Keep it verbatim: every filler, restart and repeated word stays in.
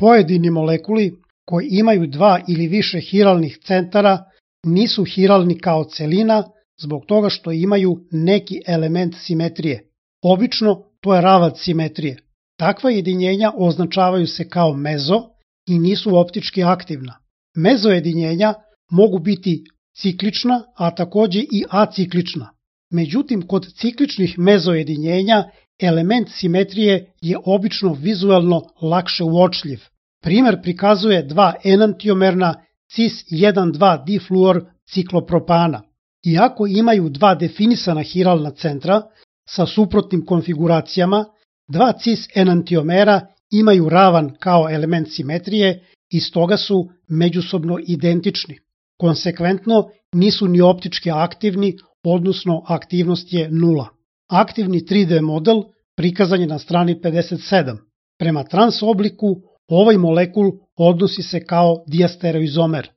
Pojedini molekuli koji imaju dva ili više hiralnih centara nisu hiralni kao celina zbog toga što imaju neki element simetrije. Obično to je ravac simetrije. Takva jedinjenja označavaju se kao mezo i nisu optički aktivna. Mezojedinjenja mogu biti ciklična, a takođe i aciklična. Međutim, kod cikličnih mezojedinjenja element simetrije je obično vizuelno lakše uočljiv. Primer prikazuje dva enantiomerna cis jedan dva difluor ciklopropana. Iako imaju dva definisana hiralna centra sa suprotnim konfiguracijama, dva cis enantiomera imaju ravan kao element simetrije i stoga su međusobno identični. Konsekventno nisu ni optički aktivni, odnosno aktivnost je nula. Aktivni tri D model prikazan je na strani pedeset sedam. Prema trans obliku ovaj molekul odnosi se kao diastereoizomer.